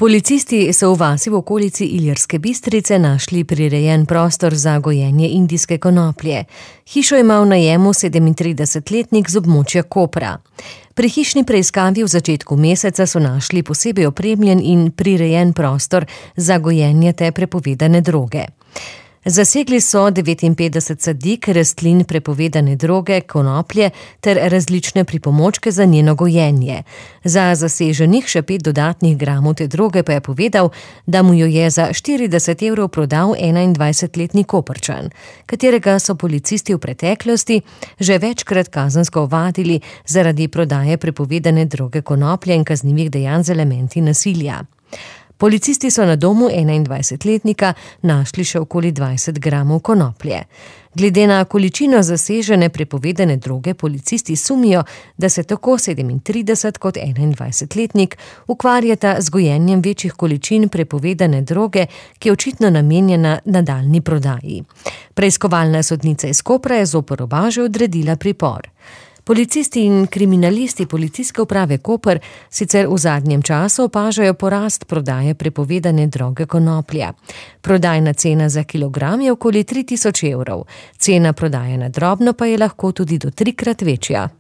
Policisti so v vasi v okolici Ilirske Bistrice našli prirejen prostor za gojenje indijske konoplje. Hišo ima v najemu 37-letnik z območja Kopra. Pri hišni preiskavi v začetku meseca so našli posebej opremljen in prirejen prostor za gojenje te prepovedane droge. Zasegli so 59 sadik rastlin prepovedane droge, konoplje ter različne pripomočke za njeno gojenje. Za zaseženih še 5 dodatnih gramov te droge pa je povedal, da mu jo je za 40 evrov prodal 21-letni Koprčan, katerega so policisti v preteklosti že večkrat kazensko ovadili zaradi prodaje prepovedane droge konoplje in kaznivih dejanj z elementi nasilja. Policisti so na domu 21-letnika našli še okoli 20 gramov konoplje. Glede na količino zasežene prepovedane droge, policisti sumijo, da se tako 37 kot 21-letnik ukvarjata z gojenjem večjih količin prepovedane droge, ki je očitno namenjena nadaljnji prodaji. Preiskovalna sodnica iz Kopra je zoper oba že odredila pripor. Policisti in kriminalisti Policijske uprave Koper sicer v zadnjem času opažajo porast prodaje prepovedane droge konoplja. Prodajna cena za kilogram je okoli 3000 evrov. Cena prodaje na drobno pa je lahko tudi do 3-krat večja.